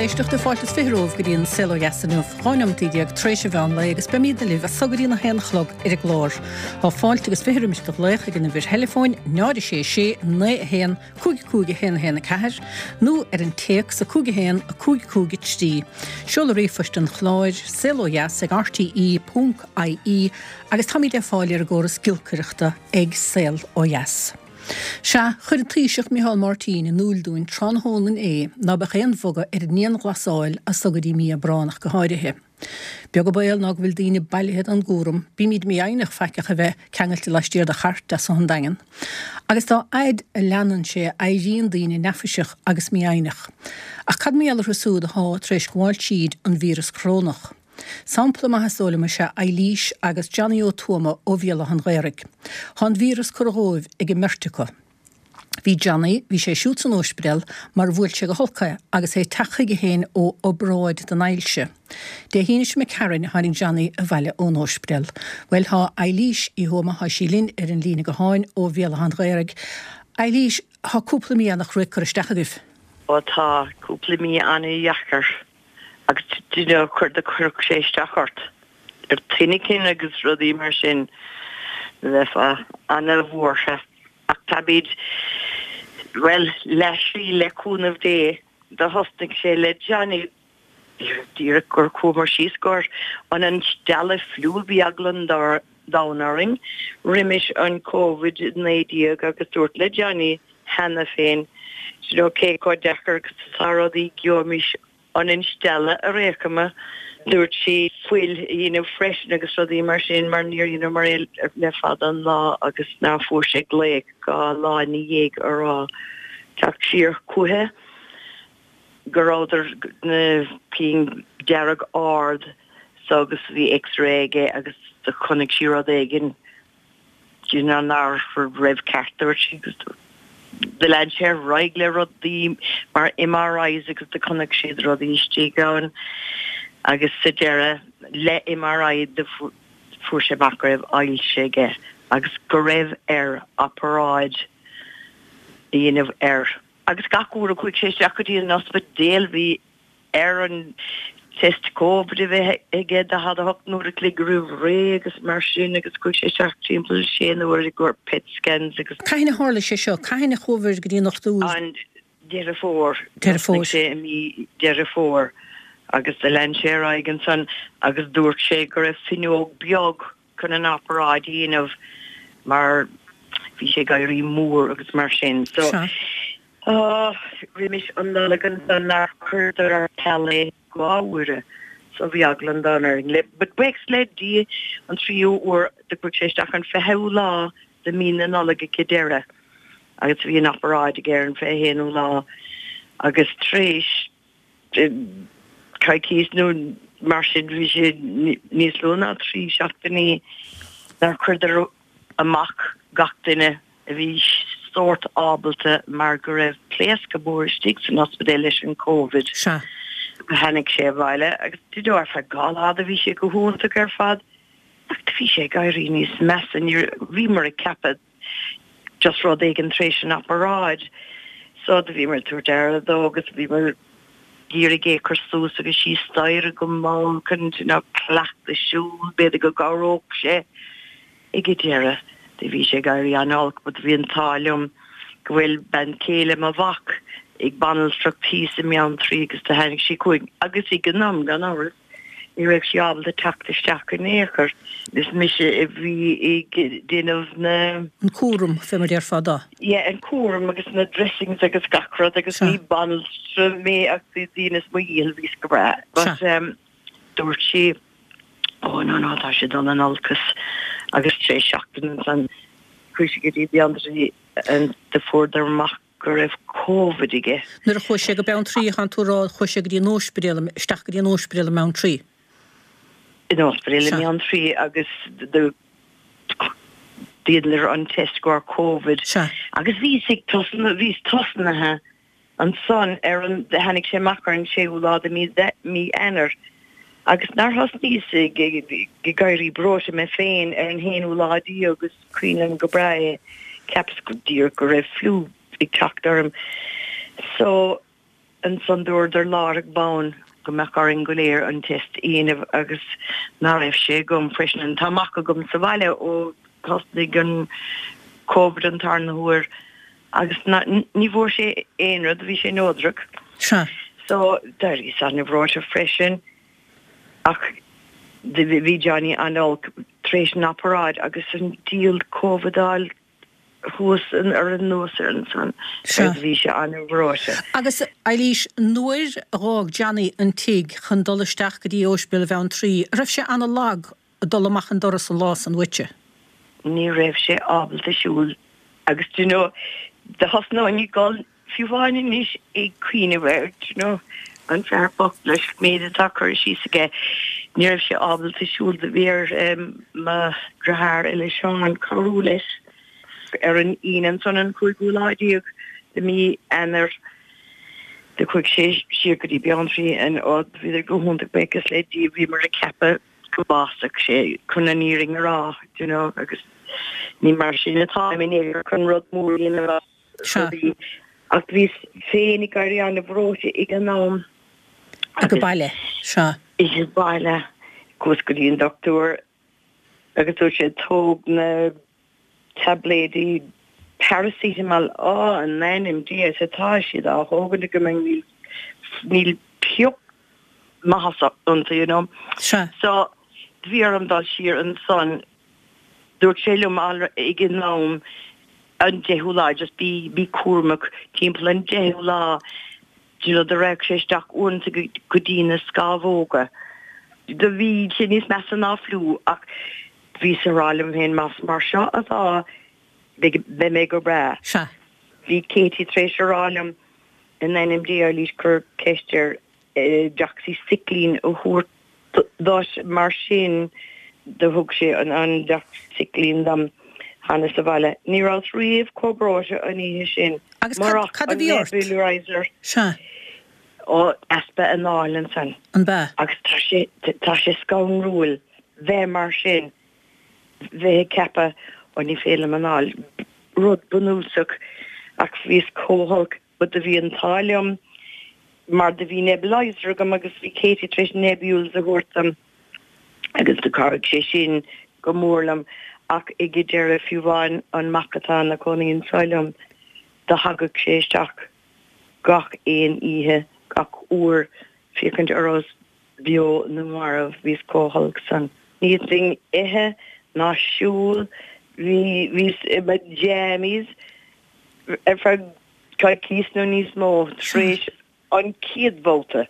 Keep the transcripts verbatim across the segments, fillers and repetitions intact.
éisteachta fáilte is fiche romhaibh go dtí an Saol Ó Dheas inniu, dhá neomat déag tar éis an mheán lae agus beimid libh as so go dtí a haon a chlog ar an gclár. Tá fáilte agus fiche roimis do ghlaoch ag an uimhir theileafóin náid a sé sé naoi a haon cúig cúig a haon a haon a ceathair nó ar an téacs a cúig a haon a cúig cúig a trí. Seoladh ríomhphoist an chláir saol ó dheas ag RTE ponc IE agus táimid le fáil ar an gcóras giolcaireachta ag Saol Ó Dheas. Sea, chuir an Taoiseach Micheál Martin in iúl dúinn tráthnóna inné ná beadh aon bhogadh ar an ndianghlasáil as so go dtí mí Aibreán ach go háirithe. Beag an baol ná go bhfuil daoine bailithe don gcúram, bímid mífhoighneach faiceach a bheith ceangailte laistiar de chairt as an Daingean. Agus dá fhaid a leanann sé éiríonn daoine neafaiseach agus mífhoighneach. Ach cad mar gheall orthu siúd atá tar éis gabháil tríd an víreas corónach? Sampla maith is dóigh liom is ea Eilís agus Johnny Ó Tuama ó Bhéal Átha an Ghaorthaidh. Tá an víreas curtha dhóibh ag an mbeirt acu. Bhí Johnny, bhí sé siúd san óispidéal mar bhuail sé go holc é agus é ag teacht chuige féin ó obráid don ailse. Dé hAoine seo imigh tharainn a tháinig Johnny abhaile ón óispidéal. Bhuel, tá Eilís Uí Thuama, tá sí linn ar an líne gutháin ó Bhéal Átha an Ghaorthaidh. Eilís, tá cúpla mí an-chruaidh curtha isteach agaibh. Ó tá, cúpla mí an-dheacair. Agus do you know chuir do chuirfeadh sé isteach ort ar tine cinn agus rudaí mar sin bheifeá ana-bhuartha. Ach táimid, bhuel, leath-slí le cúnamh Dé. Do thosnaigh sé le Johnny díreach gur chuamar síos gur an an stealladh fliú bhí eagla an domhain orainn roimis an Covid naoi déag agus dúrt le Johnny cheana féin, you know cé chomh deacair agus atá rudaí gheobhaimis an instealladh ar aon chuma. Dúirt sí fuil a dhéanamh freisin agus rudaí mar sin mar níor dheineamar é le fada an lá agus ná fuair sé glaoch dhá lá ina dhiaidh a rá teacht siar chuici go rabhadar na pinn dearg ard so agus bhí x-ray aige agus do chonaic sí rud éigin do you know nach raibh ceart dúirt sí agus do lean sé ar aghaidh le rudaí mar MRIs agus do chonaic siad rudaí istigh ann agus sa deireadh le MRI do fuair sé amach go raibh ailse aige agus go raibh air oparáid a dhéanamh air. Agus gach uair a chuaigh sé isteach go dtí an ospidéal bhí air an test Covid a bheith aige daichead a hocht n-uair a chloig roimh ré agus mar sin agus chuaigh sé isteach timpeall sé n-uair i gcomhair PET scans agus. Cathain a tharla sé seo? Cathain a chuabhair go dtí an dochtúir? An Deireadh Fómhair. Deireadh Fómhair. Thosnaigh sé i mí Deireadh Fómhair agus do lean sé ar aghaidh ansan agus dúirt sé go raibh fuinneog beag chun an oparáid a dhéanamh mar bhí sé ag éirí mór agus mar sin. So. Sea. Roimis an Nollaig ansan nár chuireadar ar ceal é dhá uaire so bhí eagla an domhain orainn le but buíochas le Dia an tríú uair do chuaigh sé isteach an fichiú lá de mí na Nollag ag deireadh agus bhí an oparáid aige ar an fiche haonú lá agus tar éis coicís nó mar sin bhí sé níos lú ná trí seachtainí nár chuireadar amach gach duine a bhí sórt ábalta mar go raibh pléascadh mór istigh san ospidéal leis an Covid. Sea. Tháinig sé abhaile agus do you know ar feadh dhá lá do bhí sé go hiontach ar fad ach do bhí sé ag éirí níos measa ní bhíomar ag ceapadh just rud éigin tar éis an oparáid so do bhíomar ag tabhairt aire dó agus bhíomar ag iarraidh é a chur suas agus síos staighre go mall chun you know cleachtadh siúl b'fhéidir go gcabhródh sé. Ag an deireadh do bhí sé ag éirí an-olc but bhí an t-ádh liom go bhfuil bean chéile mo mhac ag banaltracht thíos i mBeanntraí agus do tháinig sí chugainn agus ag an am gan amhras ní raibh sí ábalta teacht isteach in aon chor. Is mise a bhí ag déanamh na. an cúram fé mar déarfá dó. Yeah an cúram agus na dressings agus gach rud agus ní banaltra mé ach dheineas mo dhícheall bhíos go breá but um dúirt sí Ó no no tá sé dul in olcas agus tar éis seachtain ansan chuaigh sé go dtí Beanntraí and do fuaireadar amach go raibh Covid aige. Nuair a chuaigh sé go Beanntraí thánn tú a rá chuaigh sé go dtí an óispidéal isteach go dtí an óispidéal i mBeanntraí. In óispidéal i Sea. mBeanntraí agus do dheineadar an test go raibh Covid Sea. agus bhíos ag tosnú bhíos tosnaithe Ansan ar an, tháinig sé amach ar an séú lá de mí, mí Eanáir agus nár thosnaíos ag, ag éirí breoite mé féin ar an haonú lá déag agus cuimhin liom go breá é, cheapas go díreach go raibh fliú ag teacht orm. So, Ansan dúradar láithreach bonn go mbeadh orainn go léir an test a dhéanamh agus ná raibh sé agam freisin. Tá mac agam sa bhaile ó thosnaigh an Covid an tarna huair agus ní bhfuair sé aon rud, bhí sé neodrach. Sea. So d'éiríos an-bhreoite freisin ach bhí Johnny an-olc tar éis an oparáid agus an diabhal Covid a fháil thuas ar anuas air ansan agus bhí sé an-bhreoite. Agus Eilís, nuair a dh'fhág Johnny an tigh chun dul isteach go dtí Ospidéal Bheanntraí, raibh sé an-lag ag dul amach an doras an lá san uaitse? Ní raibh sé ábalta siúl agus do you know do thosnóinn ag gol fiú amháin anois ag cuimhneamh air, do you know, an fear bocht leis an méid atá curtha síos aige, ní raibh sé ábalta siúl, do bhí ar mo dheartháir eile Seán cabhrú leis ar an Aoine ansan an cúigiú lá déag de mí Eanáir. Do chuaigh sé siar go dtí Beanntraí and ó bhíodar go hiontach buíochas le Dia bhíomar ag ceapadh go mbásódh sé chun an fhírinne a rá, do you know, agus ní mar sin atáim in aon chor chun rud mór a dhéanamh as rudaí ach bhíos féin ag éirí an-bhreoite ag an am. Ag baile, sea. Ag baile. Chuas go dtí an dochtúir agus dúirt sé tóg na taibléidí paracetamol, á in ainm Dé is atá siad á thógaint agam níl níl pioc maitheasa iontu you know. Sea. So bhí orm dul siar ansan dúirt sé liom ag an am an deichiú lá just bí bí cúramach timpeall an deichiú lá do you know do raghadh sé isteach uaireanta go dtí na scamhóga. Do bhí sé níos measa ná fliú ach Bhíos ag rá liom féin, más mar seo atá, beidh mé go breá. Sea. Bhí Katie tar éis a rá liom, in ainm Dé, Eilís, cuir ceist air doxycycline a thabhairt duit, mar sin do thug sé an doxycycline dom cheana sa bhaile. Ní rabhas riamh chomh breoite an oíche sin. Agus cad a bhí ort? Nebulizer. Sea. Ó, easpa anáil ansan. An b'ea? Agus tá sé, tá sé scanrúil bheith mar sin, bheith ag ceapadh, ó ní féidir liom anáil, rud bunúsach, ach bhíos chomh holc, but do bhí an t-ádh liom mar do bhí nebulizer agam agus bhí Katie tar éis nebules a thabhairt dom agus do chabhraigh sé sin go mór liom ach ag an deireadh fiú amháin an mac atá ina chónaí anseo liom do thagadh sé isteach gach aon oíche, gach uair, féachaint an rabhas beo nó marbh, bhíos chomh holc san. Ní fhéadfainn ithe ná siúl, bhí, bhíos i mo jammies ar feadh coicís nó níos mó tar éis an chéad bhabhta.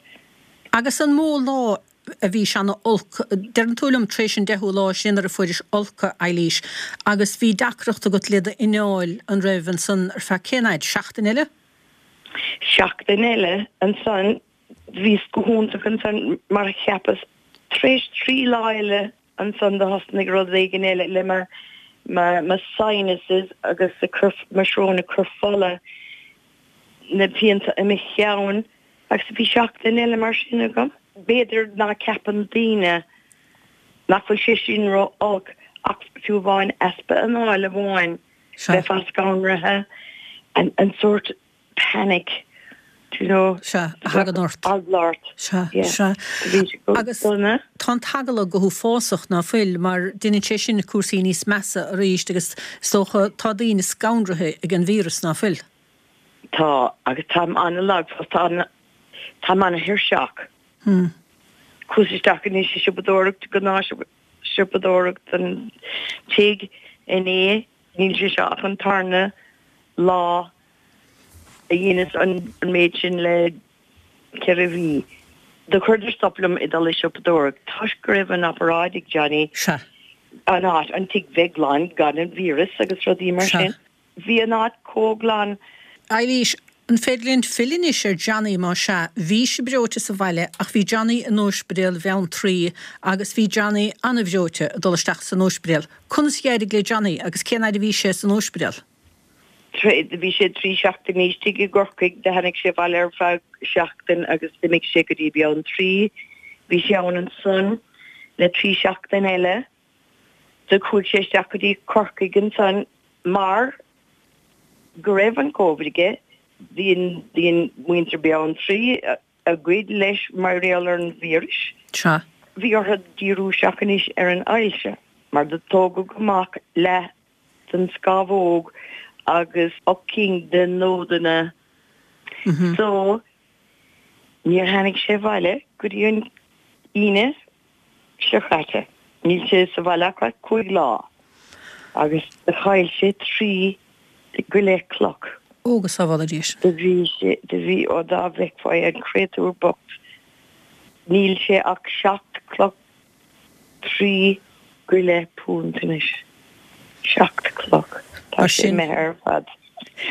Agus an mó lá a bhí sé ana olc? Deireann tú liom tar éis an deichiú lá sin nuair a fuairis folcadh, Eilís, agus bhí deacracht agat le d'anáil, an raibh, ansan ar feadh cén fhaid? Seachtain eile? Seachtain eile ansan bhíos go hiontach ansan mar a cheapas. Tar éis trí lá eile ansan do thosnaigh rud éigin eile le mo mo sinuses agus ag cur mo srón ag cur fola, na pianta i mo cheann agus bhí seachtain eile mar sin agam. B'fhéidir ná ceapann daoine nach bhfuil sé sin ró-olc ach fiú amháin easpa anáil amháin bheifeá scanraithe, an sórt panic, do you know. Sea, a thagann ort. Eagla ort. Sea, Yeah. sea. Bhí sé go Agus dona. tá an t-eagla go huafásach, ná fuil, mar déanann sé sin cúrsaí níos measa arís agus is dócha tá daoine scanraithe ag an víreas, ná fuil? Tá, agus táim an-lag fós, tá, táim an-tuirseach. Hmm. Chuas isteach anois ag siopadóireacht, gnáthshiopadóireacht don tigh inné, níl sé seo ach an tarna lá a dheineas an méid sin le ceithre mhí. Do chuireadar stop liom ag dul ag siopadóireacht toisc go raibh an oparáid ag Johnny. Sea. An áit, an tigh bheith glan gan an víreas agus rudaí mar Sea. sin. Bhí an áit chomh glan. Eilís, An féidir linn filleadh anois ar Johnny más ea? Bhí sibh breoite sa bhaile ach bhí Johnny in Ospidéal Bheanntraí agus bhí Johnny an-bhreoite ag dul isteach san ospidéal. Conas a d'éirigh le Johnny agus cén fhaid a bhí sé san ospidéal? Bhí sé trí seachtainí istigh i gCorcaigh, do tháinig sé abhaile ar feadh seachtain agus d'imigh sé go dtí Beanntraí. Bhí sé ann ansan le trí seachtain eile. Do chuaigh sé isteach go dtí Corcaigh ansan mar go raibh an Covid aige. Bhí bhí muintir Beanntraí a gcuid leis mar gheall ar an víreas. Sea. Bhí orthu díriú isteach anois ar an ailse, mar do tógadh amach leath den scamhóg agus ocht cinn de nódanna. So, níor tháinig sé abhaile go dtí an Aoine seo caite. Níl sé sa bhaile ach cúig lá. Agus do chaill sé trí go leith cloch. Ó go sábhála Dia sinn. Do bhí sé, do bhí, ó dá bhfeicfeá an créatúr bocht. Níl sé ach seacht cloch trí go leith punt anois. Seacht cloch. Tá sé imithe ar fad.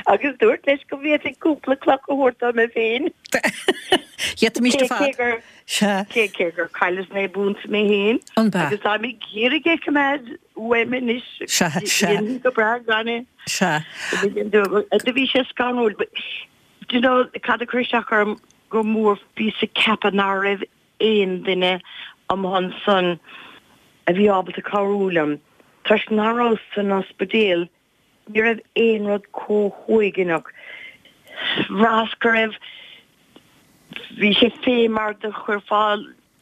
Agus dúirt leis go bhféadfainn cúpla cloch a thabhairt dom féin. D'fhéadfaimis ar fad. Sea. Cé cé gur cailleas naoi bpunt mé féin. An b'ea? Agus táim ag iarraidh é a choimeád uaim anois. Sea, sea. Dhéanfainn go breá gan é. Sea. Do bhí sé scanrúil. But do you know cad a chuir isteach orm go mór bhíos ag ceapadh ná raibh aon duine amuigh ansan a bhí ábalta cabhrú liom. Toisc ná rabhas san ospidéal ní raibh aon rud chomh huaigneach. Bhraitheas go raibh, bhí sé fé mar do chuirfeá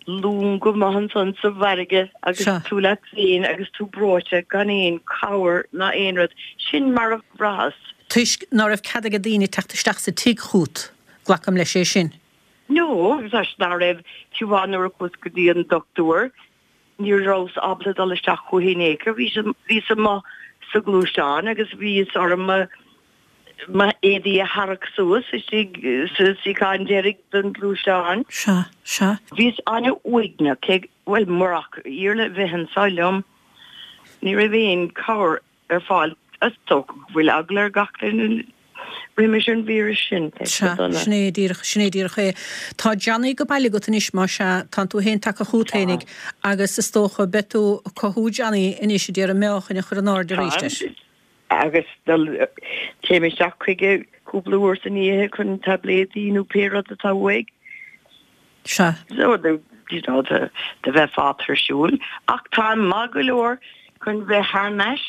long amuigh ansan sa bhfarraige agus tú leat féin agus tú breoite gan aon chabhair ná aon rud. Sin mar a bhraitheas. Toisc ná raibh cead ag daoine teacht isteach sa tigh chút, glacaim leis é sin. No, toisc ná raibh, fiú amháin nuair a chuas go dtí an dochtúir, ní rabhas ábalta dul isteach chuici in aon chor. Bhíos amuigh sa ghluaisteán agus bhíos orm mo m'éadaí a tharrac suas istigh sa suíochán deiridh den ghluaisteán. Sea, sea. Bhíos an-uaigneach, cé, bhuel, murach Iarla a bheith anso liom, ní raibh aon chabhair ar fáil. Is dócha go bhfuil eagla ar gach duine roimis an víreas sin, tá sé Sea, dona. sin é díreach, sin é díreach é. Tá Johnny go baile agat anois, más ea, tánn tú féin tagtha chugat fhéinig agus is dócha beidh tú ag cothú Johnny anois a d'iarraidh meáchain a chur in airde arís Táim, air. agus dul, téim isteach chuige cúpla uair san oíche chun taibléidí nó pé rud atá uaidh. Sea. So, do, you know, do, do bheifeá tuirsiúil. Ach táim maith go leor chun bheith thar n-ais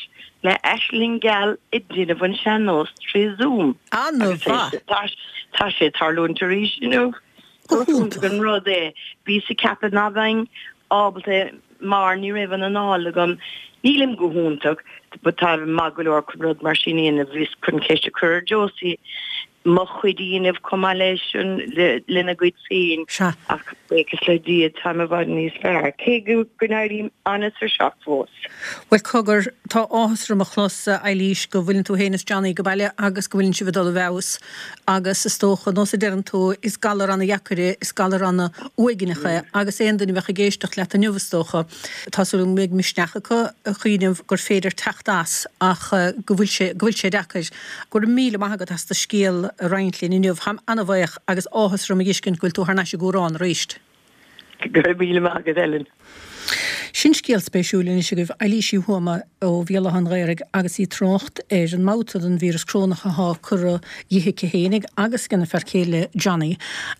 le Aisling Gheal ag déanamh an sean-nós trí Zoom. An-mhaith! Tá sé ag tarlúint arís inniu. Go Go hiontach hiontach. an rud é. Bhíos ag ceapadh ná bheinn ábalta mar ní raibh an anáil agam. Nílim go hiontach but táim maith go leor chun rud mar sin a dhéanamh. Bhíos chun ceist a chur ar Josie mo chuid a dhéanamh chomh maith leis an lena gcuid féin. Sea. Ach buíochas le Dia táim i bhfad níos fearr, cé go go n-éirím an-tuirseach fós. Bhuel cogar, tá áthas orm a chlos, a Eilís, go bhfuileann tú féin is Johnny go baile agus go bhfuileann sibh ag dul i bhfeabhas agus is dócha, nós a deireann tú, is galar ana-dheacair é, is galar ana-uaigneach é agus aon duine a bheadh ag éisteacht leat inniu is dócha, tá súil agam go mbeidh misneach acu a chuimhneamh gur féidir teacht as ach go bhfuil sé, go bhfuil sé deacair. Go raibh míle maith agat as do scéal a roinnt linn inniu. Táim ana-bhuíoch agus áthas orm a fheiscint go bhfuil tú thar n-ais i gCúrán arís. Go raibh míle maith agat, Ellen. Sin scéal spéisiúil anois agaibh, Eilís Uí Thuama ó Bhéal Átha an Ghaorthaidh agus í ag trácht ar an mbabhta den víreas corónach athá curtha dhi aici fhéinig agus ag a fear céile Johnny.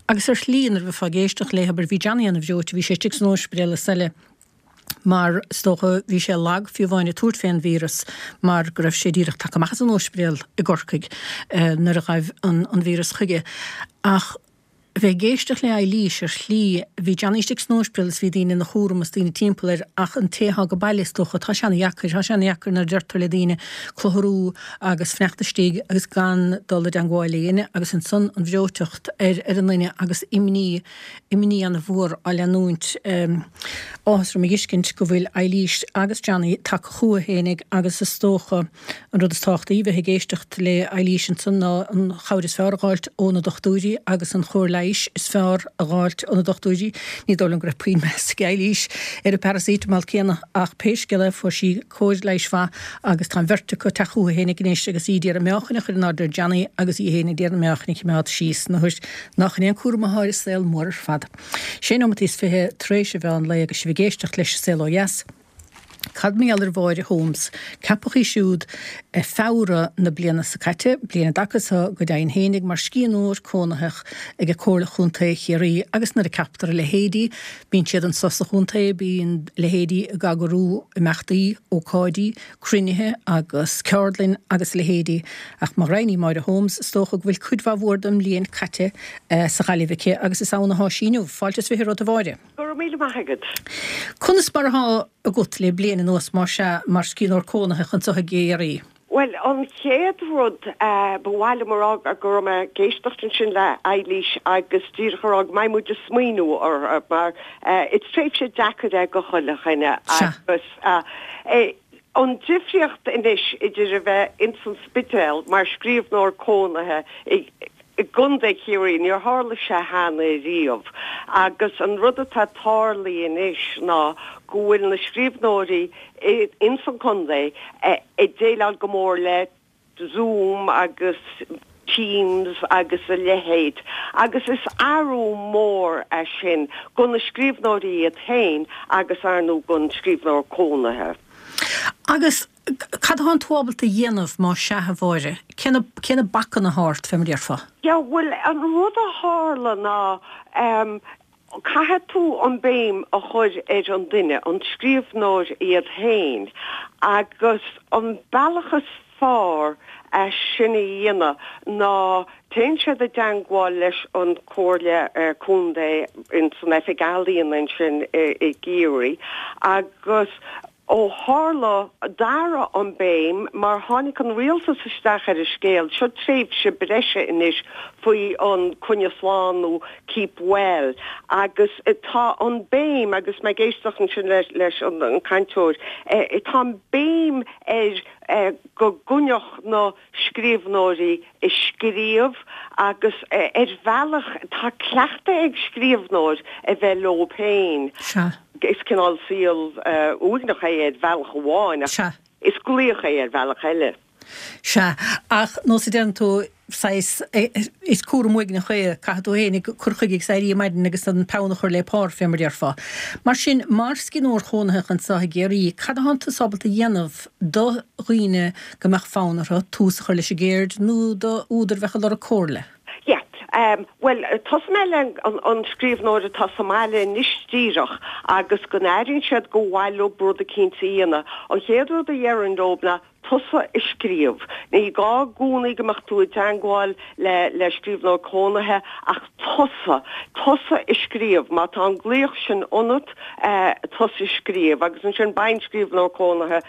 Agus ar shlí nuair a bheifeá ag éisteacht léi, abair, bhí Johnny ana-bhreoite, bhí sé istigh san óispidéal is eile, mar is dócha bhí sé lag fiú amháin ag tabhairt fén víreas mar go raibh sé díreach tagtha amach as an óispidéal i gCorcaigh nuair a ghaibh an an víreas chuige. Ach bheith ag éisteacht le Eilís ar shlí, bhí Johnny istigh san óispidéal is bhí daoine ina chúram is daoine timpeall air ach an té athá go baile is dócha, tá sé ana-dheacair, tá sé ana-dheacair nuair a deirtear le daoine clutharú agus fanacht istigh agus gan dul i dteangmháil le éinne agus ansan an bhreoiteacht ar ar an nduine agus imní, imní ana-mhór á leanúint. Áthas orm a fheiscint go bhfuil Eilís agus Johnny tagtha chucu fhéinig agus is dócha an rud is tábhachtaí bheith ag éisteacht le Eilís ansan ná an chabhair is fearr a dh'fháilt ó na dochtúirí agus an chóir leighis is fearr a dh'fháilt ó na dochtúirí. Ní dóigh liom go raibh puinn meas ag Eilís ar an bparacetamol céanna ach pé scéal é fuair sí cóir leighis mhaith agus tá an bheirt acu ag teacht chucu fhéinig anois agus í d'iarraidh meáchan a chur in airde ar Johnny agus í fhéin ag iarraidh an meáchan a chimeád síos nuair nach in é an cúram athá ar an saol mór ar fad. Sé nóimeataí is fiche tar éis an mheán lae agus sibh ag éisteacht leis An Saol Ó Dheas. Cad mar gheall ar Mháire Holmes, ceapadh í siúd i Feabhra na bliana seo caite, bliain an dtaca seo go deimhin fhéinig mar scríbhneoir cónaitheach ag Comhairle Chontae Chiarraí agus nuair a ceaptar a leithéidí, bíonn siad anso sa chontae, bíonn leithéidí ag eagrú imeachtaí, ócáidí, cruinnithe agus ceardlainn agus a leithéidí. Ach má roghnaíodh Máire Holmes, is dócha go bhfuil cuid mhaith mhór den mbliain caite sa Ghaillimh aici agus is ann atá sí inniu. Fáilte is fiche romhat a Mháire. Go raibh míle maith agat. Conas mar atá agat le bliain anuas mar sea mar scríbhneoir cónaitheach anseo i gCiarraí? Bhuel, an chéad rud ba mhaith liom a rá go raibh mé ag éisteacht ansin le Eilís agus díreach a rá go mbeidh muid ag smaoineamh orthu mar is tréimhse deacair é go chuile dhuine agus an difríocht anois idir a bheith ins an Spidéal mar scríbhneoir cónaithe i i gContae Chiarraí, níor tharla sé cheana riamh agus an rud atá tarlaithe anois ná go bhfuil na scríbhneoirí ins an chontae ag déileáil go mór le Zoom agus Teams agus a leithéid agus is athrú mór é sin go na scríbhneoirí iad féin agus ar ndóigh gon scríbhneoir cónaithe. Agus cad atánn tú ábalta a dhéanamh má sea a Mháire? Cé na cé na bacanna atá ort fé mar a déarfá? Yeah bhuel an rud a tharla ná ehm caithfidh tú an béim a chur ar an duine, an scríbhneoir iad féin agus an bealach is fearr é sin a dhéanamh ná téann siad i dteangmháil leis an Comhairle Contae ins an Oifig Ealaíon ansin i gCiarraí agus ó tharla d'athraigh an béim mar tháinig an rialtas isteach ar an scéal, seo tréimhse breise anois faoi an coinnigh slán nó keep well agus tá an béim agus mé ag éisteacht ansin leis an cainteoir, tá an béim ar go gcoinneodh na scríbhneoirí ag scríobh agus ar bhealach tá cleachtadh ag scríbhneoir a bheith leo féin. Sea. Is cineál saol uaigneach é ar bhealach amháin ach Sea. is glaoch é ar bhealach eile. Sea, ach nós a deireann tú, saghas, is cúram uaigneach é, caithfidh tú féin cur chuige agus éirí ar maidin agus an peann a chur le pár, fé mar a déarfá. Mar sin, mar scríbhneoir chónaitheach anseo i gCiarraí, cad atánn tusa ábalta a dhéanamh do dhaoine go mbeadh fonn orthu tús a chur leis an gceird nó do údar a bheadh ag lorg comhairle? Yeah. Bhuel, tosóidh mé le an scríbhneoir atá sa mbaile anois díreach agus go n-airíonn siad go mhaith leo rud eicínt a dhéanamh. An chéad rud a dhéarfainn leo ná tosaigh ag scríobh. Ní gá i gcónaí go mbeadh tú i dteangmháil le le scríbhneoir cónaithe ach tosaigh. Tosaigh ag scríobh. Má tá an glaoch sin ionat, tosaigh ag scríobh agus ansin beidh an scríbhneoir cónaithe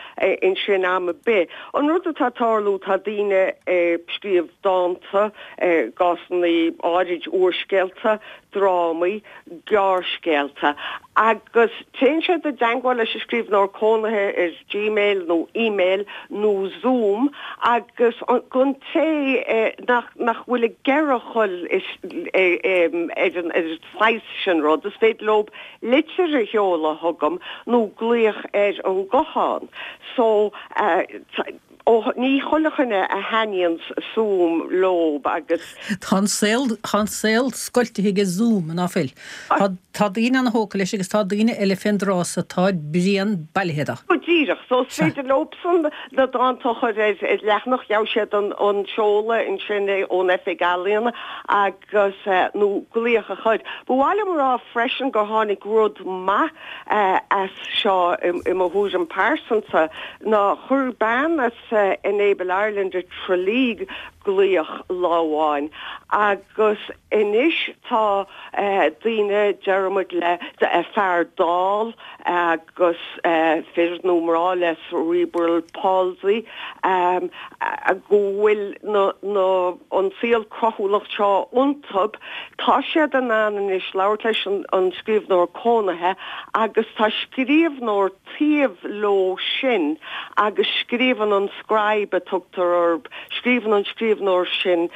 ansin am ar bith. An rud atá ag tarlú, tá daoine ag scríobh dánta, i gcásanna áirid úrscéalta, drámaí, gearrscéalta agus téann siad i dteangmháil leis an scríbhneoir cónaithe ar Gmail nó email nó Zoom agus don té nach nach bhfuil ag iarraidh a dhul ar an ar an saghas sin rud, is féidir leo litir a sheoladh chugam nó glaoch ar an guthán. So Ó, ní chuile dhuine a thaitníonn Zoom leo agus. Tá an saol, tá an saol scoiltithe ag Zoom, ná fuil? Tá, tá daoine ana-thógtha leis agus tá daoine eile fén dtráth so tá bréan bailithe de. Go díreach. So is féidir leobsan na dánta a chur ar leathanach, gheobhaidh siad an, an seoladh ansin ón Oifig Ealaíon agus, nó glaoch a chur. Ba mhaith liom a rá freisin gur tháinig rud maith as seo i mo thuairim pearsanta ná chuir bean as Enable Ireland i Tralee glaoch lá amháin agus anois tá daoine, deirimid le fear dall agus fir nó mná le cerebral palsy go bhfuil na na an saol cruthúlacht seo iontu, tá siad in ann anois labhairt leis an scríbhneoir cónaithe agus tá scríbhneoir taobh leo sin agus scríobhann an scribe a tugtar orthu, scríobhann an scríbhneoir sin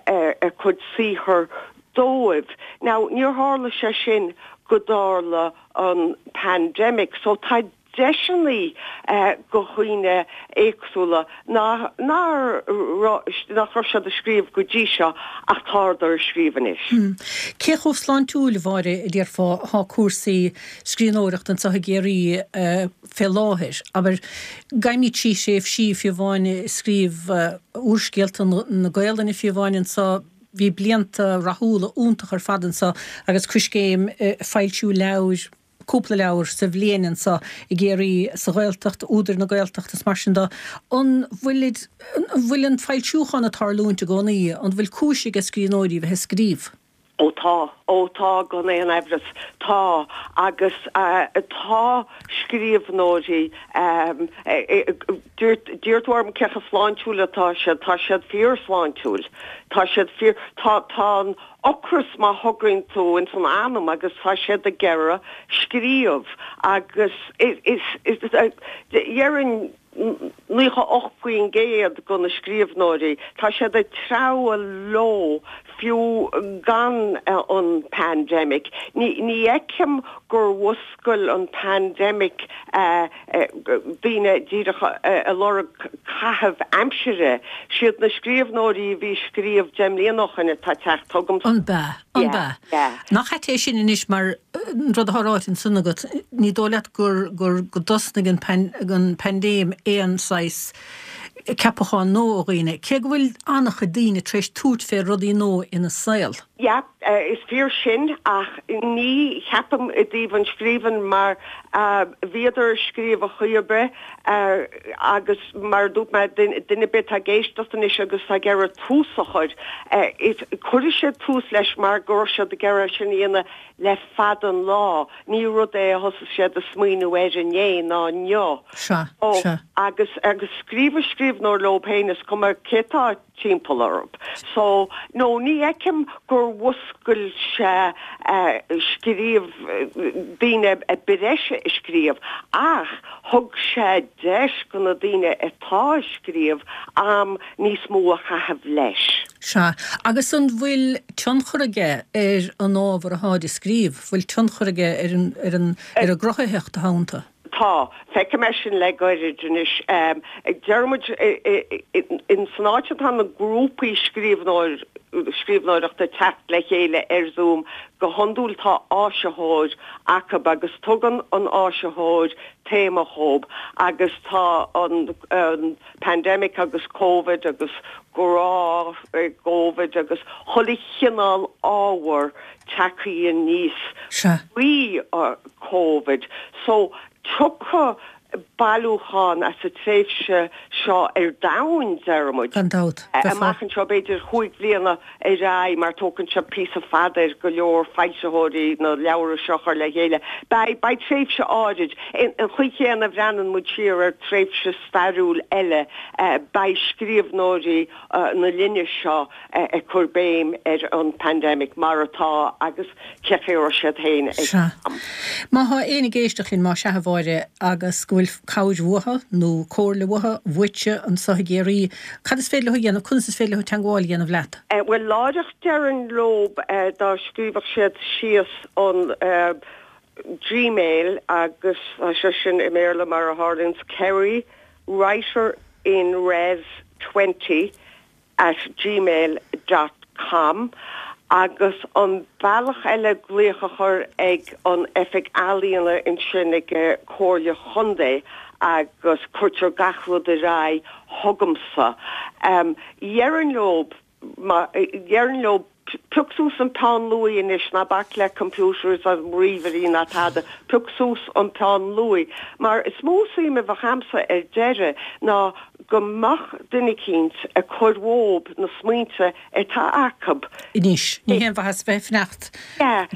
a cuid saothar dóibh. Now, níor tharla sé sin go dtarla an pandemic, so tá deiseanna do dhaoine éagsúla nach nach raibh siad ag scríobh go dtí seo ach tádar ag scríobh anois. Cé chomh sláintiúil, a Mháire, a déarfá atá cúrsaí scríbhneoireachta anseo i gCiarraí fé láthair? Abair, gabhaimid trí thréimhsí fiú amháin i scríobh úrscéalta na Gaelainne fiú amháin anseo, bhí blianta rathúla iontach ar fad anseo agus Coiscéim ag foilsiú leabhair, cúpla leabhar sa bhliain anseo i gCiarraí, sa Ghaeltacht, údair na Gaeltachta is mar sin de. An bhfuilid, an bhfuil an foilsiúchán ag tarlúint i gcónaí? An bhfuil cúis ag scríbhneoirí bheith ag scríobh? Ó tá, ó tá gan aon aimhreas, tá agus tá scríbhneoirí, d'iarr tú orm cé chomh sláintiúil atá siad, tá siad fíorshláintiúil, tá siad fíor, tá, tá an ocras má thograíonn tú ins an anam agus tá siad ag iarraidh scríobh agus is, is, is, déarfainn naocha ocht faoin gcéad de na scríbhneoirí, tá siad ag treabhadh leo fiú gan an pandemic. Ní fheicim gur mhúscail an pandemic daoine díreach ag lorg caitheamh aimsire. Siad na scríbhneoirí a bhí ag scríobh deich mbliana ó shin atá ag teacht chugamsa. An b'ea? An b'ea? Nach ait é sin anois mar an rud atá ráite ansan agat, ní dóigh leat gur gur go dtosnaigh an paindéim aon saghas ceapachán nua ó dhaoine, cé go bhfuil an-chuid daoine tar éis tabhairt fé rudaí nua ina saol. Yeah, is fíor sin ach ní cheapaim i dtaobh an scríbhinn mar bhíodar ag scríobh ar chaoi ar bith agus mar a dúirt mé, duine ar bith atá ag éisteacht anois agus atá ag iarraidh tús a chur, cuirfidh siad tús leis mar go raibh siad ag iarraidh sin a dhéanamh le fada an lá. Ní rud é a thosaigh siad ag smaoineamh air inné ná inniu. Sea, sea. Agus agus scríobhadh scríbhneoir leo féin is cuma cé tá timpeall orthu. So, no, ní fheicim gur mhúscail sé scríobh daoine breise ag scríobh ach thug sé deis go na daoine atá ag scríobh am níos mó a chaitheamh leis. Sea. Agus an bhfuil tionchar aige ar an ábhar atáid ag scríobh? Bhfuil tionchar aige ar an, ar an, ar an gcruthaitheacht atá iontu? Tá. Feicim é sin le gairid anois. Deir muid in san áit atá na grúpaí scríbhneoir, scríbhneoireachta ag teacht le chéile ar Zoom, go hiondúil tá áisitheoir acu agus tugann an áisitheoir téama dhób agus tá an an pandemic agus Covid agus grá i gCovid agus chuile chineál ábhar tagtha aníos faoi Covid. So tiocfaidh bailiúchán as an tréimhse seo ar domhan, deir muid. Gan dabht. Amach anseo b'fhéidir chúig bhliana ar aghaidh mar tógann sé píosa fada ar go leor foilsitheoirí na leabhra seo a chur le chéile. Beidh, beidh tréimhse áirid. An chaoi chéanna a bhreathnaíonn muid siar ar tréimhse stairiúil eile, beidh scríbhneoirí na linne seo ag cur béim ar an pandemic mar atá agus cé chaoi a raibh siad féin ag Sea. Má thá éinne ag éisteacht linn, más ea a Mháire, agus go bhfuil cabhair uathu nó comhairle uathu, uaitse, anseo i gCiarraí, cad is féidir leo a dhéanamh, conas is féidir leo teangmháil a dhéanamh leat? Bhuel, láithreach déarfainn leo dá scríobhadh siad síos an Gmail agus tá sé sin i mBéarla mar a tharlaíonn, Kerry writer in res twenty at gmail dot com agus an bealach eile glaoch a chur ag an Oifig Ealaíona ansin ag Comhairle Chontae agus cuirtear gach rud ar aghaidh chugamsa. Déarfainn leo, déarfainn leo Pioc suas an peann luaidhe anois, ná bac le computers agus ríomhairí ná tada, pioc suas an peann luaidhe. Mar is mó suim a bheadh a'msa ar deireadh ná go mbeadh duine eicínt ag cur uób na smaointe atá acub. Anois, ní haon mhaitheas bheith ag fanacht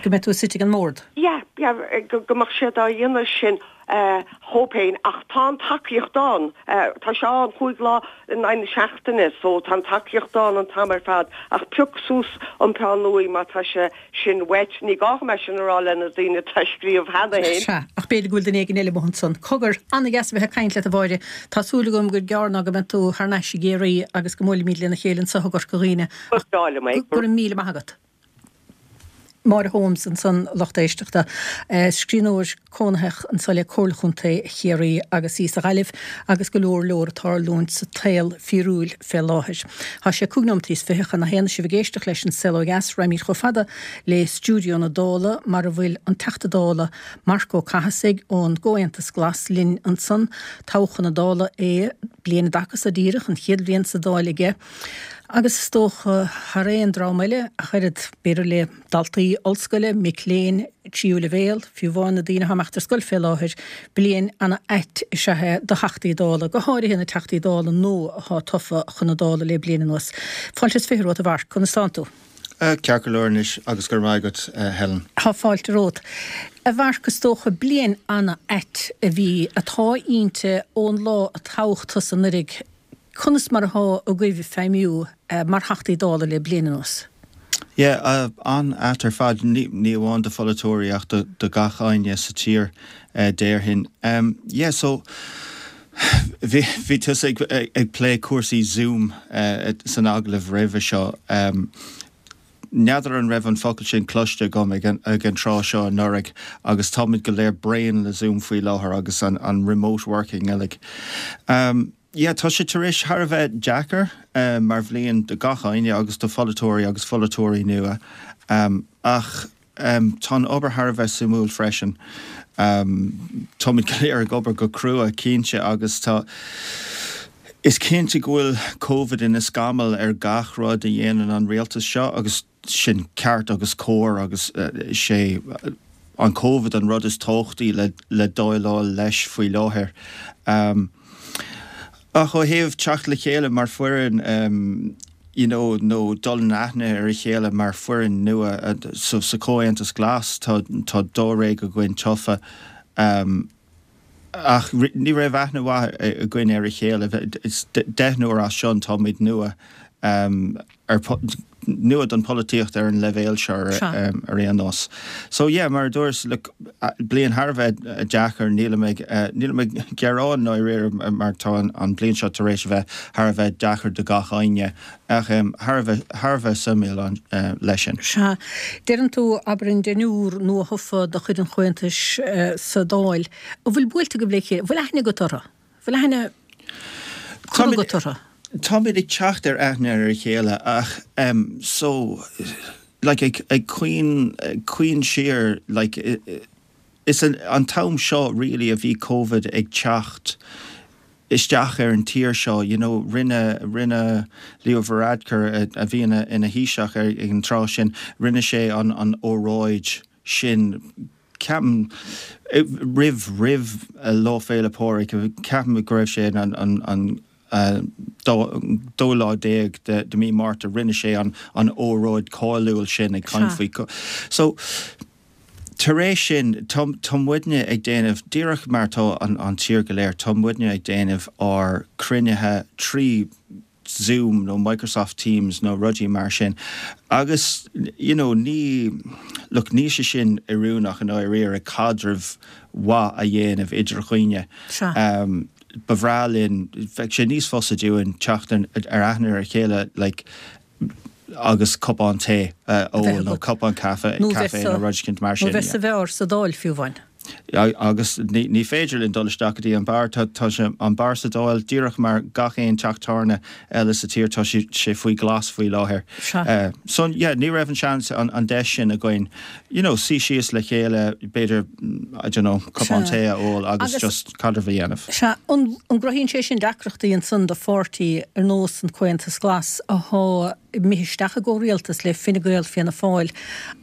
go mbeidh tú suite ag an mbord. Yeah, yeah, go mbeadh siad á dhéanamh sin dhób féin ach tá an tacaíocht ann, tá sé ann chúig lá in aghaidh na seachtaine so tá an tacaíocht ann an t-am ar fad ach pioc suas an peann luaidhe má tá sé sin uait, ní gá dhom é sin a rá le na daoine atá ag scríobh cheana féin. Sea, ach b'fhéidir go bhfuil duine éigin eile amuigh ansan. Cogar, an-dheas a bheith ag caint leat a Mháire, tá súil agam gur gearr ná go mbeidh tú thar n-ais i gCiarraí agus go mbuailfimid lena chéile anseo i gCorca Dhuibhne ach go raibh míle maith agat. Máire Holmes ansan lucht éisteachta, scríbhneoir cónaitheach anso le Comhairle Chontae Chiarraí agus í sa Ghaillimh agus go leor leor ag tarlúint sa tsaol fíorúil fé láthair. Tá sé cúig nóimeataí is fiche chun a haon sibh ag éisteacht leis an Saol Ó Dheas, raghaimid chomh fada le stiúideo na Dála mar a bhfuil an Teachta Dála Marc Ó Cathasaigh ón gComhaontas Glas linn ansan. Toghadh chun na Dála é bliain i dtaca so díreach, an chéad bhliain sa Dáil aige. Agus is dócha, thar aon dream eile, ach oiread, b'fhéidir le daltaí ollscoile, mic léinn tríú leibhéal, fiú amháin na daoine atá ag imeacht ar scoil fé láthair, bliain ana-ait is ea é do Theachtaí Dála, go háirithe na Teachtaí Dála nua atá tofa chun na Dála le bliain anuas. Fáilte is fiche romhat, a Mharc. Conas tánn tú? Ceart go leor anois agus go raibh maith agat, Helen. Tá fáilte romhat. A Mharc, is dócha, bliain ana-ait a bhí, atá inti ón lá a toghadh tusa anuraidh. Conas mar atá agaibh feidhmiú mar Theachtaí Dála le bliain anuas? Yeah, an-ait ar fad, ní amháin do pholaiteoirí ach do gach éinne sa tír déarfainn. Yeah, so bhí tusa ag plé cúrsaí Zoom san agallamh roimhe seo. N'fheadar an raibh an focal sin cloiste agam ag an tráth seo anuraidh agus táimid go léir bréan le Zoom faoi láthair agus an remote working uilig. Yeah, tá sé tar éis thar a bheith deacair mar bhliain do gach éinne agus do pholaiteoirí agus pholaiteoirí nua ach tá an obair thar a bheith suimiúil freisin. Táimid go léir ag obair go crua, cinnte, agus tá, is cinnte go bhfuil Covid ina scamall ar gach rud a dhéanann an rialtas seo agus sin ceart agus cóir agus is é an Covid an rud is tábhachtaí le le déileáil leis faoi láthair. Ach ó thaobh teacht le chéile mar foireann, you know, nó dul in aithne ar a chéile mar foireann nua, so sa Chomhaontas Glas tá tá dáréag againn tofa ach ní raibh aithne mhaith againn ar a chéile. Is deichniúr as sin táimid nua ar nua don pholaitíocht ar an leibhéal seo ar aon nós. So yeah, mar a dúras, look, bliain thar a bheith deacair, nílim ag nílim ag gearán dáiríre mar tá an bliain seo tar éis a bheith thar a bheith deacair do gach éinne ach thar a bheith thar a bheith suimiúil leis sin. Sea. Deireann tú, abair an deichniúr nua-thofa de chuid an Chomhaontais sa Dáil, an bhfuil buailte agaibh le chéile, an bhfuil aithne agat orthu? An bhfuil aithne curtha agat orthu? Táimid ag teacht ar aithne ar a chéile ach em so like ag ag cuimhn ag cuimhneamh siar like is an an t-am seo really a bhí Covid ag teacht isteach ar an tír seo you know rinne rinne Leo Varadkar a bhí ina ina Thaoiseach ar ag an tráth sin rinne sé an an óráid sin ceapaim roimh roimh Lá Féile Pádraig ceapaim go raibh sé an an an dóú lá déag de mí Márta rinne sé an an óráid cáiliúil sin ag caint faoi so tar éis sin tá tá muidne ag déanamh díreach mar tá an an tír go léir tá muidne ag déanamh ár cruinnithe trí Zoom nó Microsoft Teams nó rudaí mar sin agus you know ní look níl sé sin oiriúnach i ndáiríre caidreamh mhaith a dhéanamh idir dhaoine. Um, ba bhreá linn bheadh sé níos fusa dúinn teacht ar aithne ar a chéile like agus cupán tae a ól nó cupán caife caife nó rud éicint mar sin. Nó bheith sa bheár sa Dáil fiú amháin. Agus ní féidir linn dul isteach go dtí an beár, tá sé an beár sa Dáil díreach mar gach aon teach tábhairne eile sa tír, tá sé faoi ghlas faoi láthair. So yeah, ní raibh an seans an deis sin againn you know, suí síos le chéile b'fhéidir I don't know, cupán tae a ól agus just caidreamh a dhéanamh. Sea, an gcruthaíonn sé sin deacrachtaí ansan do pháirtí ar nós an Comhaontas Glas athá imithe isteach i gcomhrialtas le Fine Gael, Fianna Fáil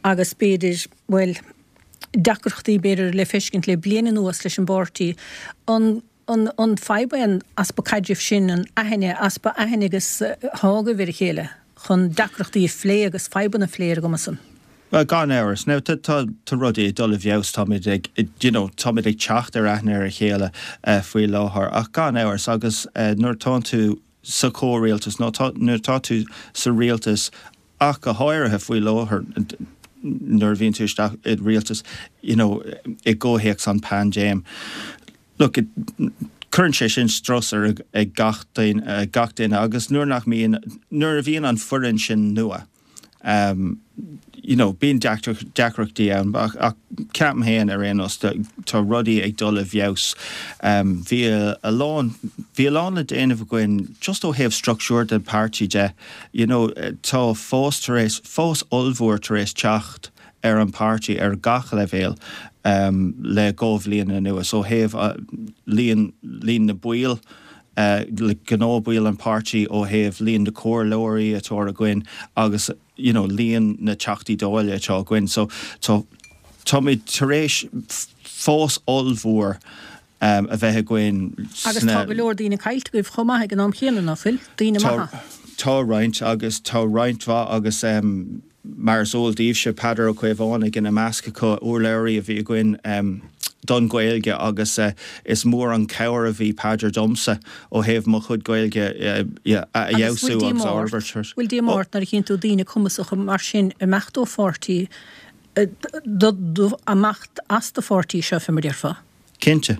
agus b'fhéidir, bhuel, deacrachtaí b'fhéidir le feiscint le bliain anuas leis an bpáirtí. An an fadhb é an easpa caidrimh sin, an aithne, easpa aithne agus athá agaibh ar a chéile chun deacrachtaí a phlé agus fadhbanna a phlé ar an gcuma san? Bhuel, gan amhras. Now, tá tá tá rudaí ag dul i bhfeabhas, táimid ag, you know, táimid ag teacht ar aithne ar a chéile faoi láthair ach gan amhras agus nuair atánn tú sa chomhrialtas nó tá nuair atá tú sa rialtas ach go háirithe faoi láthair nuair a bhíonn tú isteach i rialtas you know i gcomhthéacs an paindéim look cuireann sé sin strus ar ag gach duine gach duine agus nuair nach mbíonn nuair a bhíonn an foireann sin nua um you know, bíonn deacrachtaí ann ach ach ceapaim féin ar aon nós tá rudaí ag dul i bhfeabhas. Um, bhí a lán bhí a lán le déanamh againn just ó thaobh struchtúr den páirtí de you know, tá fás tar éis fás ollmhór tar éis teacht ar an páirtí ar gach leibhéal um, le dhá bhliain anuas ó thaobh uh, líon líon na baill uh, le gnáthbhaill an páirtí ó thaobh líon na comhairleoirí atá againn agus you know, líon na teachtaí dála atá againn so tá táimid tar éis fás ollmhór um, a bheith againn Agus tá go leor daoine caillte agaibh chomh maith ag an am chéanna nach bhfuil daoine maithe. Tá roinnt agus tá roinnt mhaith agus um, mar is eol daoibhse Peadar Ó Caomhánaigh ina measc acu urlabhraí a bhí againn um, don Ghaeilge agus uh, is mór an cabhair a bhí Peadar domsa ó thaobh mo chuid Gaeilge uh, yeah, a fheabhsú agus a fhorbairt. Bhfuil díomá ort nuair a chíonn tú daoine cumasacha mar sin imeacht ó pháirtí imeacht as do pháirtí seo fé mar déarfá? Cinnte.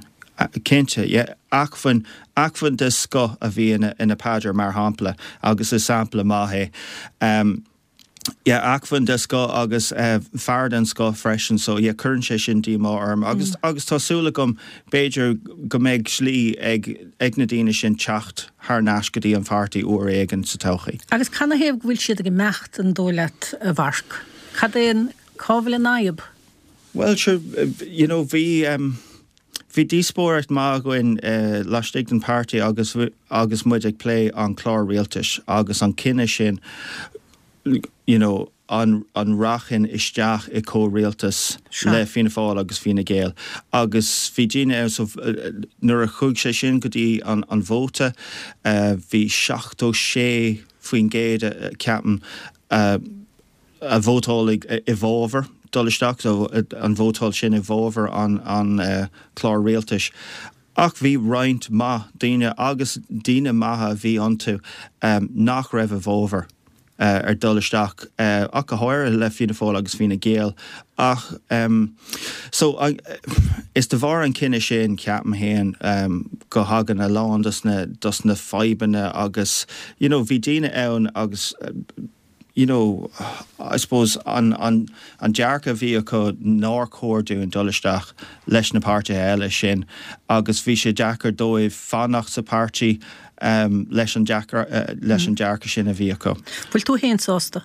Cinnte, yeah. Acmhainn acmhainn de scoth a bhí ina, ina Peadar mar shampla agus is sampla maith é. Um, yeah, acmhainn de scoth agus uh, fear den scoth freisin, so yeah, cuireann sé sin díomá orm. Agus, mm. agus tá súil agam b'fhéidir go mbeidh slí ag, ag na daoine sin teacht thar n-ais go dtí an pháirtí uair éigin sa todhchaí. Agus canathaobh go bhfuil siad ag imeacht an dóigh leat a Mharc? Cad é an cá bhfuil an fhadhb? Well, sure, you know, bhí um, bhí díospóireacht maith againn uh, laistigh den páirtí agus agus muid ag plé an clár rialtais agus an cinneadh sin you know, an, an rachainn isteach i comhrialtas le Fianna Fáil agus Fine Gael. Agus bhí daoine so, nuair a chuaigh sé sin go dtí an, an vóta, uh, bhí seachtó sé faoin gcéad uh, ceapaim uh, a vótáil i bhfabhar dul isteach so an vótáil sin i bhfabhar an, an uh, clár rialtais. Ach bhí roinnt maith daoine agus daoine maithe a bhí iontu um, nach raibh i bhfabhar uh, ar dul isteach uh, ach go háirithe le Fianna Fáil agus Fine Gael ach um, so uh, is de bharr an cinneadh sin ceapaim féin um, go thagann a lán dos na, dos na fadhbanna agus you know, bhí daoine ann agus uh, you know, I suppose an, an, an dearcadh bhí acu nár chóir dúinn dul isteach leis na páirtithe eile sin agus bhí sé deacair dóibh fanacht sa páirtí um, leis an deacair, uh, leis an dearcadh sin a bhí acu. Bhfuil tú féin sásta?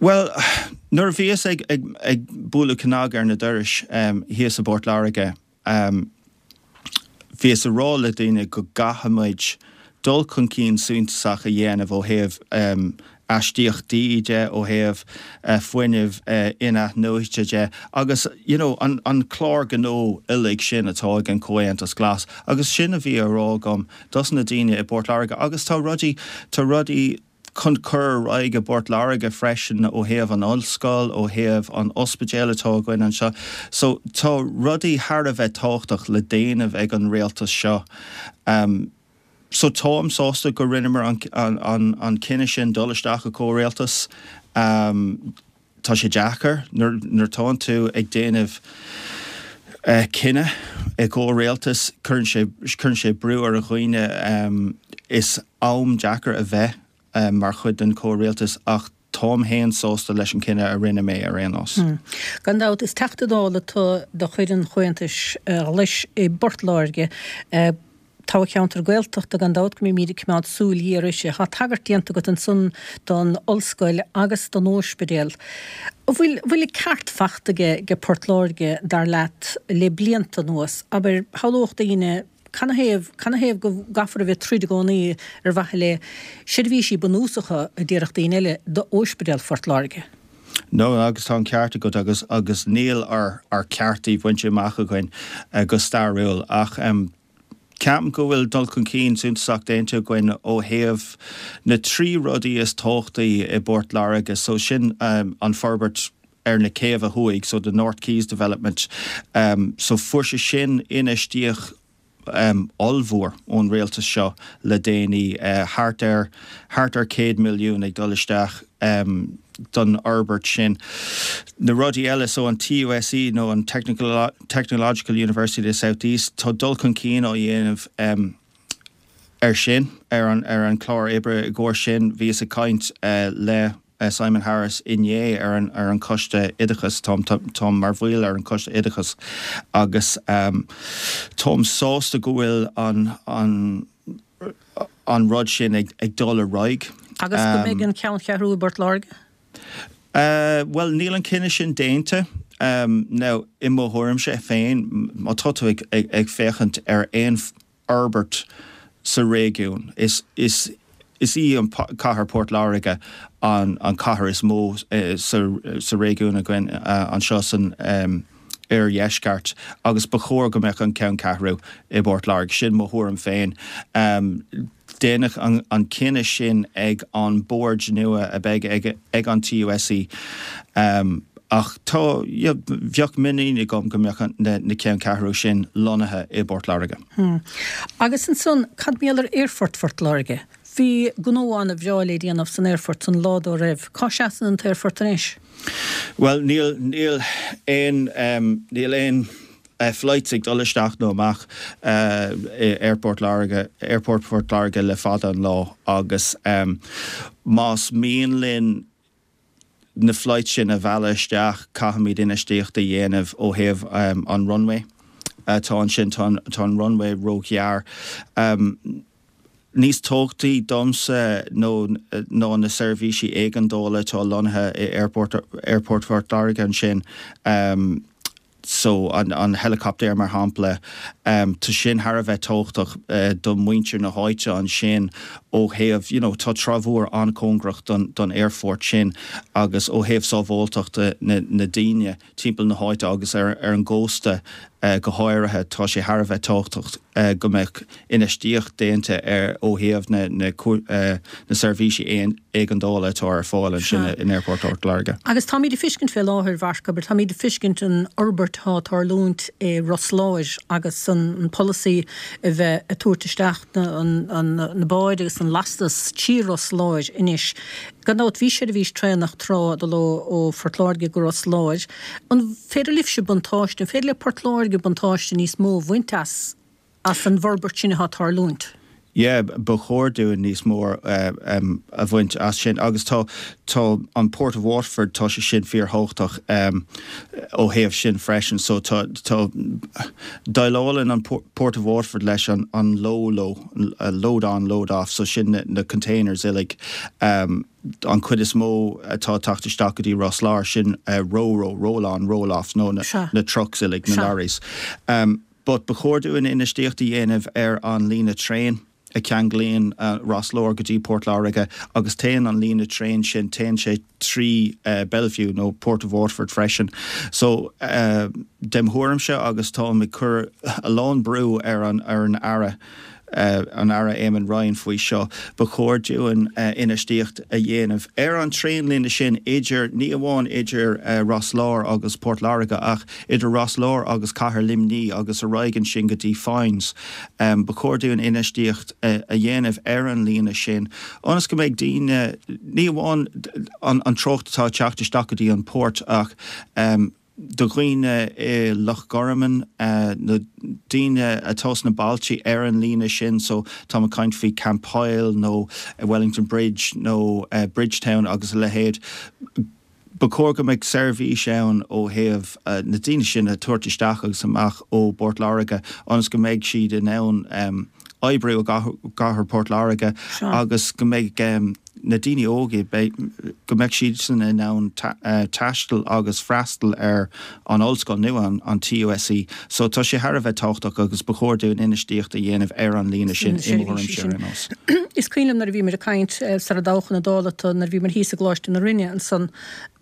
Well, nuair a bhíos ag, ag, ag bualadh cnag ar na dorais um, thíos i bPort Láirge, um, bhíos ag rá le daoine go gcaithfimid dul chun cinn suntasach a dhéanamh ó thaobh um, astaíochtaí de ó thaobh uh, fuinneamh uh, in-athnuaite de agus you know, an, an clár gnó uilig sin atá ag an Comhaontas Glas agus sin a bhí á rá agam dos na daoine i bPort Láirge agus tá rudaí tá rudaí chun cur ar aghaidh i bPort Láirge freisin ó thaobh an ollscoil ó thaobh an ospidéal atá againn anseo. So tá rudaí thar a bheith tábhachtach le déanamh ag an rialtas seo. Um, so táim sásta go rinneamar an, an, an, an cinneadh sin dul isteach i comhrialtas. Um, tá sé deacair nuair nuair atá tú ag déanamh uh, cinneadh i gcomhrialtas cuireann sé cuireann sé brú ar a dhaoine um, is am deacair a bheith um, mar chuid den comhrialtas ach táim féin sásta leis an cinneadh a rinne mé ar aon nós. Mm. Gan dabht is Teachta Dála tú de chuid an Chomhaontais Ghlais i bPort Láirge. Uh, toghcheantar Gaeltachta gan dabht go mbeimid ag coimeád súil ghéar uirthi. Tá tagairt déanta agat ansan don ollscoil agus don ospidéal. Bhfuil bhfuil ceart faighte ag Port Láirge dar leat le blianta anuas, abair shamhlódh daoine canathaobh canathaobh go gcaithfear a bheith ag troid i gcónaí ar mhaithe le seirbhísí bunúsacha a déarfadh daoine eile d'Ospidéal Phort Láirge. No agus tá an ceart agat agus agus níl ár ár ceartaí bainte amach againn uh, go stairiúil ach um, ceapaim go bhfuil dul chun cinn suntasach déanta againn ó thaobh na trí rudaí is tábhachtaí i bPort Láirge so sin um, an forbairt ar na céibhe thuaidh, so the North Quays development. Um, so fuair sé sin infheistíocht um, ollmhór ón rialtas seo le déanaí uh, thart ar thart ar céad milliún ag dul isteach um, don fhorbairt sin. Na rudaí eile so an TUSE nó an Technical Technological University of the South East tá dul chun cinn á dhéanamh um, ar sin ar an ar an chlár oibre i gcomhair sin bhíos ag caint uh, le Simon Harris inné ar an ar an Coiste Oideachais táim táim mar bhall ar an Coiste Oideachais agus um, táim sásta go bhfuil an an an rud sin ag, ag dul ar aghaidh. Agus go mbeidh an ceanncheathrú i bPort Láirge? Uh, well níl an cinneadh sin déanta. Um, now i mo thuairimse féin má tá tú ag, ag, ag féachaint ar aon fhorbairt sa réigiún is is is í an cathair Port Láirge an an cathair is mó uh, sa, sa réigiún againn uh, anseo san um, oirdheisceart agus ba chóir go mbeadh an ceanncheathrú i bPort Láirge sin mo thuairim féin. Um, Déanadh an, an cinneadh sin ag an board nua a bheidh ag, ag an TUSC. Um, ach tá bheadh muinín agam go mbeadh na, na ceanncheathrú sin lonnaithe i bPort Láirge. Hmm. Agus ansan cad mar gheall ar Aerfort Phort Láirge. Bhí gnó an-bhreá le déanamh san aerfort san lá dá raibh. Cá seasann an t-aerfort anois? Well níl níl aon um, níl aon uh, flights ag dul isteach nó amach uh, Airport Láirge Airport Port Láirge le fada an lá agus um, más mian linn na flights sin a mhealladh isteach caithfimid infheistíocht a dhéanamh ó thaobh um, an runway. Uh, tá ansin tá an runway róghearr. Um, Níos tábhachtaí domsa nó ná na seirbhísí éigeandála atá lonnaithe i Airport Airport Phort Láirge ansin. Um, so an, an helicopter mar shampla um, tá sin thar a bheith tábhachtach uh, do mhuintir na háite ansin ó thaobh you know, tá Trá Mhór an-chóngarach don, don aerfort sin agus ó thaobh sábháilteachta na, na daoine timpeall na háite agus ar, ar an gcósta uh, go háirithe tá sé thar a bheith tábhachtach uh, go mbeadh infheistíocht déanta ar ó thaobh na, na, uh, na seirbhísí éigeandála atá ar fáil ansin in Airport Port Láirge. Agus táimid ag feiscint fé láthair Mharc, táimid ag feiscint an fhorbairt atá ag tarlúint i Ros Láir agus an, an polasaí a bheith ag tabhairt isteach na, an, an, na báid agus an lastas trí Ros Láir anois. Gan dabht bhí seirbhís traenach tráth ag dul ó Phort Láirge go Ros Láir. An féidir libhse buntáiste, an féidir le Port Láirge buntáiste níos mó a bhaint as as an bhforbairt sin atá ag tarlúint? Yeah, ba chóir dúinn níos mó uh, um, a bhaint as sin agus tá tá an Port of Waterford tá sé sin fíorthábhachtach um, ó thaobh sin freisin so tá tá déileálann an Port of Waterford leis an an LOLO load on load off so sin na, na containers uilig um, an chuid is mó atá ag teacht isteach go dtí Ros Láir sin uh, ro-ro roll on roll off nó na, na trucks uilig na lorries. Um, but ba chóir dúinn infheistíocht a dhéanamh ar an líne traein a cheanglaíonn uh, Ros Láir go dtí Port Láirge agus téann an líne traein sin téann sé trí uh, Belview nó Port of Waterford freisin. So uh, dem thuairimse agus tá ag cur a lán brú ar an ar an Aire uh, an Aire Eamon Ryan faoi seo ba chóir dúinn uh, infheistíocht a dhéanamh. Ar an traenlíne sin idir ní amháin idir uh, Ros Láir agus Port Láirge ach idir Ros Láir agus Cathair Luimnigh agus ar aghaidh ansin go dtí Foynes. Um, ba chóir dúinn infheistíocht uh, a dhéanamh ar an líne sin. Ionas go mbeidh daoine ní amháin an, an trácht atá ag teacht isteach go dtí an port ach um, do dhaoine i Loch Garman uh, na daoine atá sna bailte ar an líne sin so tá ag caint faoi Campile nó Wellington Bridge nó uh, Bridgetown agus a leithéid. Ba chóir go mbeadh seirbhís ann ó thaobh uh, na daoine sin a tabhairt isteach agus amach ó Port Láirge ionas go mbeidh siad in ann um, oibriú gcathair Port Láirge agus go mbeidh um, na daoine óga go mbeidh siad san in ann taisteal agus freastal ar an ollscoil nua an, an TUSC. So tá sé thar a bheith tábhachtach agus ba chóir dúinn infheistíocht a dhéanamh ar an líne sin sin. Is cuimhin liom nuair a bhíomar ag caint sara dtoghadh na Dála nuair a bhíomar thíos i gColáiste na Rinne ansan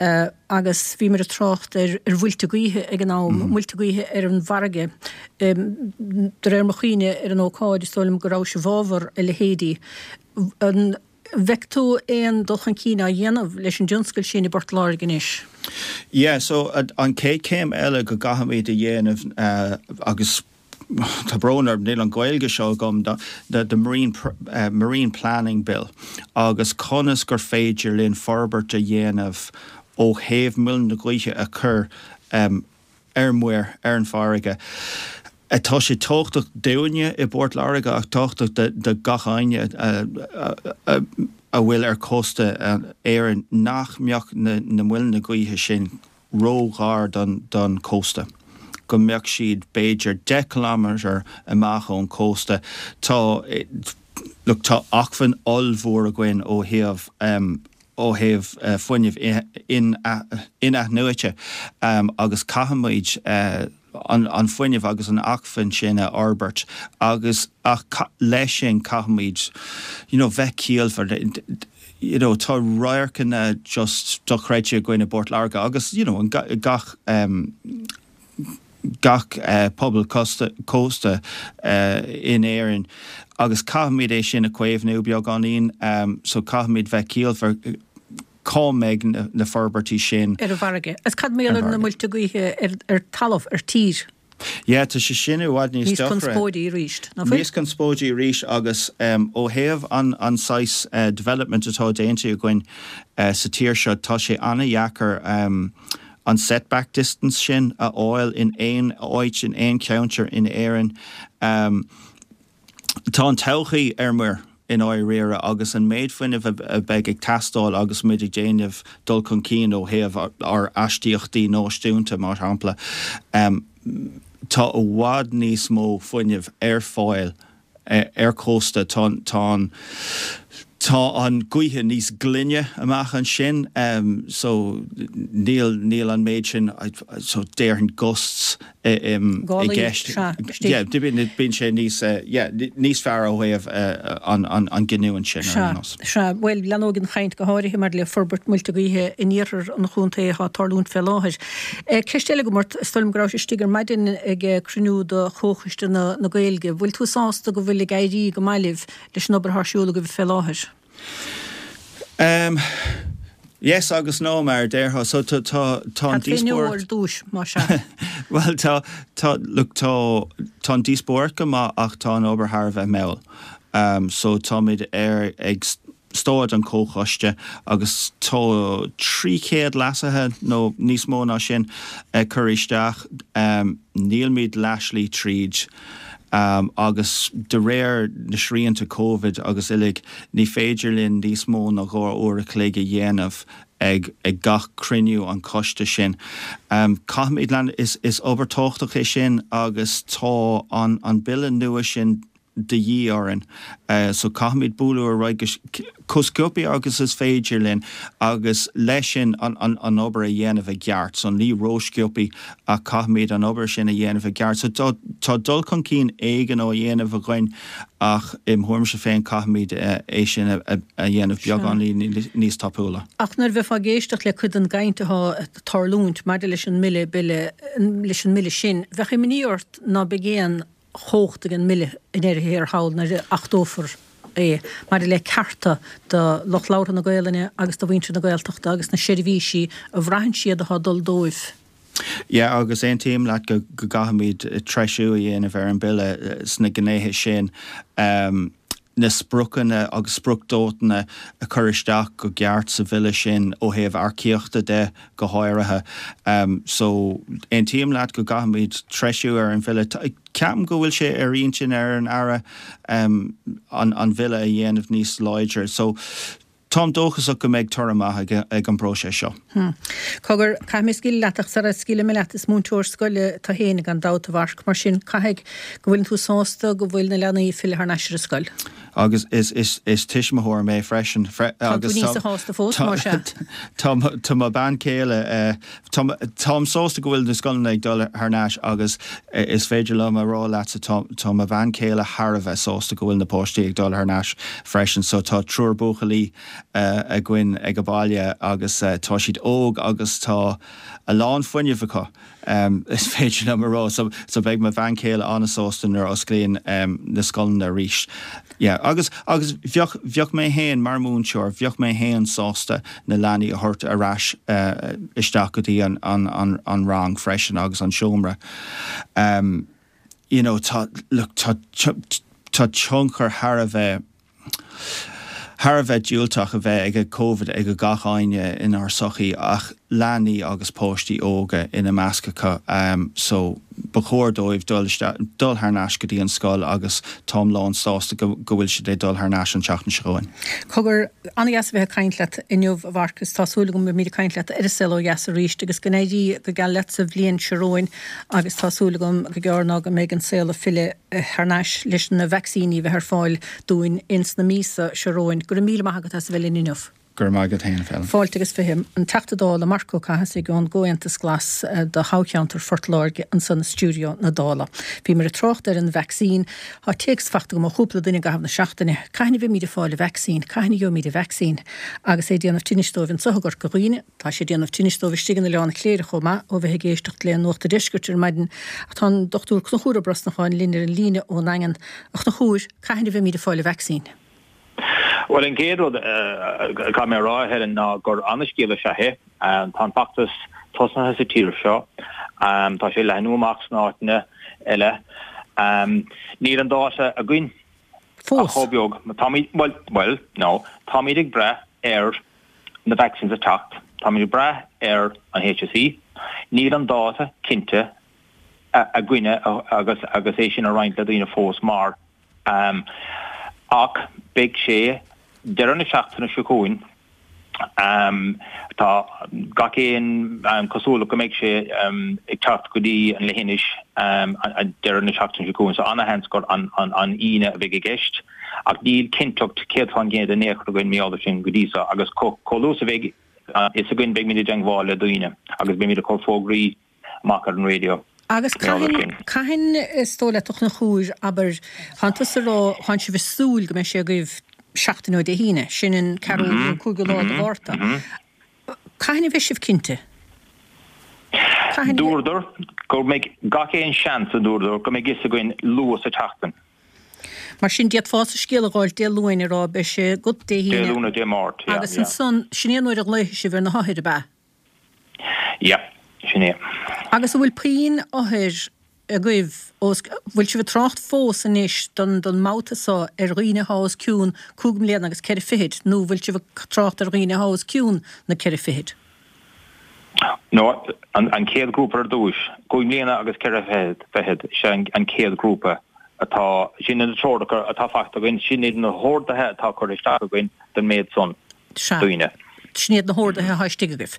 agus bhíomar ag trácht ar ar mhuilte gaoithe ag an am, mm. muilte gaoithe ar an bhfarraige. De réir mo chuimhne ar an ócáid is dóigh liom go raibh sé i bhfabhar a leithéidí. An bhfeiceann tú aon dul chun cinn á dhéanamh leis an dtionscal sin i bPort Láirge anois? Yeah, so an chéad chéim eile go gcaithfimid a dhéanamh uh, agus tá brón orm níl an Ghaeilge seo agam the, the marine, uh, marine planning bill agus conas gur féidir linn forbairt a dhéanamh ó thaobh muileann na gaoithe a chur um, ar muir ar an bhfarraige. Tá sé tábhachtach dúinne i bPort Láirge ach tábhachtach do gach éinne a bhfuil ar cósta Éireann nach mbeadh na na muileanna gaoithe sin róghar don don cósta. Go mbeadh siad b'fhéidir deich kilometre amach ón cósta. Tá look tá acmhainn ollmhór againn ó thaobh ó thaobh fuinneamh in-athnuaite agus caithfimid an an fuinneamh agus an acmhainn sin a fhorbairt agus ach leis sin caithfimid you know bheith ciallmhar you know tá radharcanna just dochreidte againn i bPort Láirge agus you know gach um, gach uh, pobal cósta uh, in Éirinn agus caithfimid é sin a chaomhnú beagáinín um, so caithfimid bheith ciallmhar cá mbeidh na, na forbairtí sin. Ar an bhfarraige. Is cad mar gheall ar na muilte gaoithe ar, ar talamh ar tír? Yeah, tá sé sin i bhfad níos Níos conspóidí arís, nach bhfuil? Níos conspóidí arís agus um, ó thaobh an, an saghas uh, development atá déanta againn uh, sa tír seo tá sé an-deacair um, an setback distance sin a fháil in aon áit in aon cheantar in Éirinn. Um, tá an todhchaí ar muir i ndáiríre agus an méid fuinnimh a bheidh ag teastáil agus muid ag déanamh dul chun cinn ó thaobh ár astaíochtaí náisiúnta mar shampla. Um, tá i bhfad níos mó fuinnimh ar fáil ar cósta tá tá tá an gaoth níos glaine amach ansin um, so níl níl an méid sin so déarfainn gusts i gceist bíonn sé níos níos fearr ó thaobh an an an giniúint sin. Sea, bhuel leanfaidh an chaint go háirithe mar le forbairt muilte gaoithe in iarthar an chontae atá ag tarlúint fé láthair. Ceist eile agam ort is dóigh liom go raibh istigh ar maidin ag cruinniú de Chomhchoiste na na Gaeilge. Bhfuil tú sásta go bhfuil ag éirí go maith libh leis an obair atá ar siúl agaibh fé láthair? Um, yes agus no mar déarfá so tá tá tá an díospóireacht dúis má sea. Well tá tá look tá tá an díospóireacht go maith ach tá an obair thar a bheith mall. Um, so táimid ar ag stáid an comhchoiste agus tá trí chéad leasuithe nó níos mó ná sin uh, curtha isteach um, nílmid leathshlí tríd. Um, agus de réir na srianta COVID agus uilig ní féidir linn níos mó ná dhá uair a chloig a dhéanamh ag ag gach cruinniú an choiste sin. Um, Caithfimid lean is, is obair tábhachtach é sin agus tá an, an bille nua sin de dhíth orainn. Uh, so caithfimid bualadh ar aghaidh chomh sciobtha agus is féidir linn agus leis sin an, an, an obair a dhéanamh i gceart, so ní rósciobtha ach caithfimid an obair sin a dhéanamh i gceart. So tá, tá dul chun cinn éigin á dhéanamh againn ach im thuairimse féin caithfimid uh, é sin a, a, a dhéanamh beagán níos tapúla. Ach nuair a bheifeá ag éisteacht le cuid den gcaint atá ag tarlúint maidir leis an mbille bille leis an mbille sin, bheadh imní ort ná beidh aon chumhacht ag an mbille i ndeireadh thiar thall nuair a achtófar é maidir le cearta do lucht labhartha na Gaelainne agus do mhuintir na Gaeltachta agus na seirbhísí a bhraitheann siad atá ag dul dóibh. Yeah, agus aontaím leat go go gcaithfimid treisiú a dhéanamh ar an bille sna gnéithe sin. Um, na spriocanna agus spriocdhátaí a chur isteach go ceart sa bhille sin ó thaobh earcaíochta de go háirithe. Um, so aontaím leat go gcaithfimid treisiú ar an bhille. Ceapaim go bhfuil sé ar intinn ar an Aire um, an, an bhille a dhéanamh níos láidre. So táim dóchasach go mbeidh toradh maith ag, ag an bpróiseas seo. Hmm. Cogar caithfidh mé scaoileadh leat ach sara scaoilfidh mé leat is múinteoir scoile tú féin gan dabht a Mharc mar sin caithfidh go bhfuil tú sásta go bhfuil na leanaí ag filleadh thar n-ais ar an scoil. Agus is, is, is tuismitheoir mé freisin. Fre, agus tá sásta fós mar sin. Tá tá mo bhean chéile uh, táim sásta go bhfuil na scoileanna ag dul thar n-ais agus uh, is féidir liom a rá leat tá tá mo bhean chéile thar a bheith sásta go bhfuil na páistí ag dul thar n-ais freisin, so tá triúr buachaillí uh, againn ag an baile agus uh, tá siad óg agus tá a lán fuinnimh acu. Um, is féidir liom a rá so, so beidh mo bhean chéile an-sásta nuair a osclaíonn um, na scoileanna arís. Yeah, agus agus bheadh bheadh mé féin mar mhúinteoir, bheadh mé féin sásta na leanaí a thabhairt ar ais uh, isteach go dtí an, an, an, an rang freisin agus an seomra. Um, you know, tá look, tá tá tionchar thar a bheith thar a bheith diúltach a bheith ag COVID ag gach éinne inár sochaí ach leanaí agus páistí óga ina measc acu um, so ba chóir dóibh dul dul thar n-ais go dtí an scoil agus táim lán sásta go go bhfuil siad ag dul thar n-ais an tseachtain seo chugainn. Cogar an-dheas a bheith ag caint leat inniu a Mharcus tá súil agam go mbeimid ag caint leat ar an Saol Ó Dheas arís agus go n-éirí go geal leat sa bhliain seo romhainn agus tá súil agam go gearr ná go mbeidh an saol ag filleadh thar n-ais leis na vacsaíní bheith ar fáil dúinn ins na míosa seo romhainn. Go raibh míle maith agat as a bheith linn inniu. Go raibh maith agat féin Féilim. Fáilte agus fiche, an Teachta Dála Marc Ó Cathasaigh ón gComhaontas Glas do thoghcheantar Phort Láirge ansan i stiúideo na Dála. Bhíomar ag trácht ar an vacsaín. Tá téacs faighte agam ó chúpla duine i gcaitheamh na seachtaine. Cathain a bheimid ag fáil an vacsaín? Cathain a gheobhaimid an vacsaín? Agus é ag déanamh tinnis dóibh anso i gCorca Dhuibhne. Tá sé ag déanamh tinnis dóibh istigh in Oileán Chléire chomh maith ó bheith ag éisteacht le Nuacht an Deiscirt ar maidin. Ach tá an Dochtúir Conchúr Ó Brosnacháin linn ar an líne ón nDaingean. A Chonchúir, cathain a bheimid ag fáil an vacsaín? Bhuel, an chéad rud a chaithfidh mé a rá, a Helen, ná gur ana-scéal is ea é. Tá an feachtas tosnaithe sa tír seo. Tá sé ag leathnú amach sna áiteanna eile. Níl an dáta againn Fós. ach chomh beag. Táimid, bhuel, bhuel, no, táimid ag brath ar na vaccines a teacht. Táimid ag brath ar an HSE. Níl an dáta cinnte againne agus agus é sin a roinnt le daoine fós mar Ach beidh sé deireadh na seachtaine seo chugainn. Tá gach aon cosúlacht go mbeidh sé ag teacht go dtí an leithinis deireadh na seachtaine seo chugainn, so ana-sheans gur an Aoine a bheidh i gceist. Ach níl cinnteacht céad fán gcéad in aon chor againn mar gheall air sin go dtí so agus chomh luath is a bheidh a fhios againn beimid i dteangmháil le daoine agus beimid ag cur fógraí amach ar an raidió. Agus cathain, cathain is dóigh leat a Chonchúir, abair, thánn tusa ag rá, thánn sibh ag súil go mbeidh sé agaibh seachtain ó Dé hAoine, sin an ceathrú nó cúigiú lá de Mhárta. Cathain a bheidh sibh cinnte? Cathain a. Dúradar go mbeidh gach aon seans, a dúradar, go mbeidh fhios againn luath sa tseachtain. Mar sin, d'fhéadfása scéal a dh'fháilt Dé Luain ag rá beidh sé agat Dé Dé hAoine. Luain nó Dé Máirt, yeah, Agus yeah. ansan, sin é an uair a ghlaofaidh sibh ar na hothair, ab ea? Yeah, sin é. Agus an bhfuil puinn othair agaibh os, bhfuil sibh ag trácht fós anois don, don mbabhta so ar dhaoine athá os cionn cúig mbliana agus ceithre fichid nó bhfuil sibh ag trácht ar dhaoine athá os cionn na ceithre fichid? No, an, an chéad ghrúpa ar dtúis, cúig mbliana agus ceithre fichid, fichid, is ea an, an chéad ghrúpa atá, sin na treoracha atá faighte againn, sin iad na horduithe atá curtha isteach againn don méid san Sea. daoine. Sin iad na horduithe atá istigh agaibh.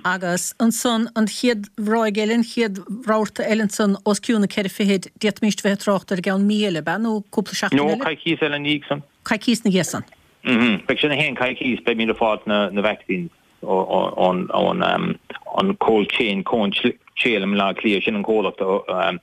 Agus ansan, an chéad ráig eile, an chéad rabharta eile ansan, os cionn na ceithre fichid, d'fhéadfaimis bheith ag trácht ar i gceann mí eile, ab ea, nó cúpla seachtain No, eile? coicíos eile ina dhiaidh san. Coicíos ina dhiaidh san. Beidh sé na haon coicíos, beimid ag fáilt na na vaccines. ón an Cold Chain, Cold Chain i mBaile Átha Cliath, sin an comhlacht a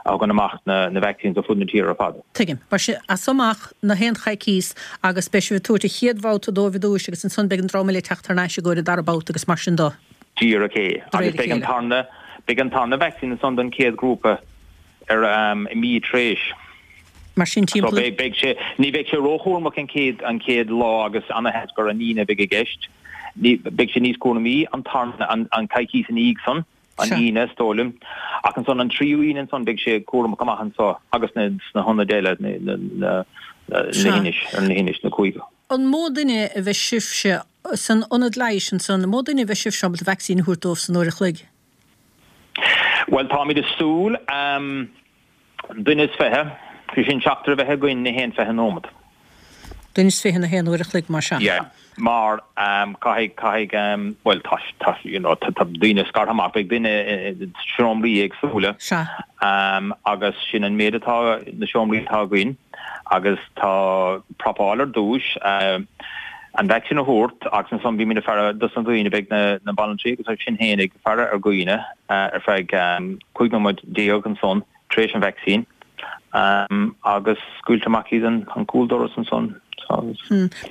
thugann amach na vaccines ar fud na tíre ar fad. Tuigim. Mar sin, as so amach na haon choicíos agus beidh sibh ag tabhairt an chéad bhabhta dóibh ar dtúis agus ansan beidh an dream eile ag teacht thar n-ais i gcomhair an dara babhta agus mar sin de. Díreach é. De réir Agus a beidh an chéile. tarna, beidh an tarna vaccine ansan don chéad ghrúpa ar i mí tar éis. Mar sin So timpeall. beidh, beidh sé, ní bheidh sé róchúramach an chéad, an chéad lá agus ana-sheans gur an Aoine a bheidh i gceist. Ní, beidh sé níos cúramaí an tarna, an, an coicís ina dhiaidh san, an Sea. Aoine is dóigh liom. Ach ansan an tríú Aoine ansan beidh sé cúramach amach anso agus na, sna hionaid eile, na, na, na, na Sea. leithinis, ar an leithinis, na cúig. An mó duine a bheidh sibhse san ionad leighis ansan, an mó duine a bheidh sibhse ábalta vacsaín a thabhairt dóibh san uair a chloig? Bhuel, táimid ag súil, ehm, duine is fiche, sé sin seachtar a bheith againn na haon fiche nóimeat. Duine is fiche na haon uair a chloig, mar sea. Yeah, mar ehm, caithfidh, caithfidh, ehm, bhuel, tá, tá, you know, tá, tá daoine scartha amach, beidh duine i seomraí éagsúla. Sea. Ehm, agus sin an méid atá, na seomraí atá againn agus tá prapáil ar dtús, ehm, an vacsaín a thabhairt agus ansan bímid ag faire dos na daoine, beidh na, na banaltraí agus sinn féin ag faire ar dhaoine ar feadh cúig nóiméad déag ansan tar éis an vacsaín agus scaoilte amach iad an, an cúldoras ansan agus.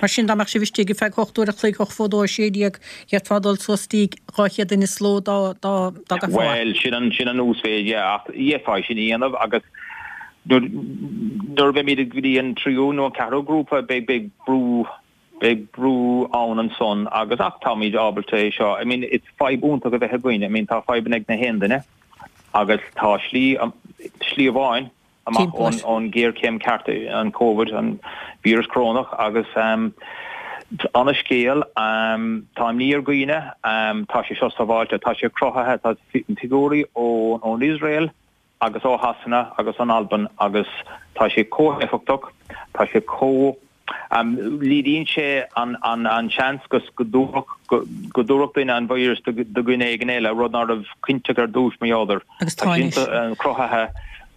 Mar sin dá mbeadh sibh istigh ar feadh hocht uair a chloig, hocht fó dó, a sé déag, d'fhéadfá dul suas dtí dhá chéad duine sa ló dá, dá, dá gcaithfeá. Bhuel, sin an, sin an uasmhéid, yeah, ach d'fhéadfá sin a dhéanamh agus nuair, nuair a bheimid go dtí an tríú nó an ceathrú grúpa beidh, beidh brú, Beidh brú ann ansan agus ach táimid ábalta é seo, I mean it's fadhb iontach a bheith againn, I mean tá fadhbanna ag na haon duine agus tá slí, slí amháin amach ón, ón ghéarchéim ceart, an Covid, an víreas corónach agus ehm Ana-scéal. Tá imní ar dhaoine. Tá sé seo sábháilte. Tá sé cruthaithe. Tá figiúirí ón Iosrael agus ó Shasana agus ón Albain agus tá sé chomh héifeachtach, tá sé chomh, laghdaíonn sé an seans go dtabharfadh duine an víreas do dhuine éigin eile, rud ná raibh cinnteach ar dtús, mar gheall air. Agus tá sin cruthaithe.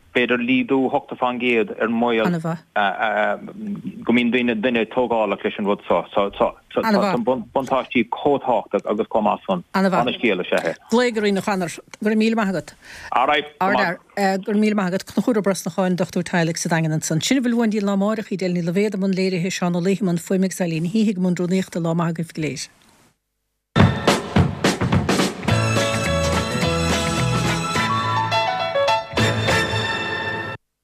B'fhéidir laghdú ochtó fán gcéad ar an mbaol go mbíonn duine duine tógálach leis an rud seo. So tá na buntáistí chomh tábhachtach agus chomh maith san. Ana-scéal is ea é. Glaoigh orainn a Chonor. Go raibh míle maith agat. Alright, go maith. Go raibh míle maith agat. Conchúr Ó Brosnacháin, dochtúir teaghlaigh sa Daingean ansan. Sin a bhfuil uainn go dtí an lá amáireach, Edel Ní Loibhéad i mbun léirithe, Seán Ó Laoithe i mbun fuaime agus Eileen Healy i mbun rúnaíochta. Lá maith agaibh go léir.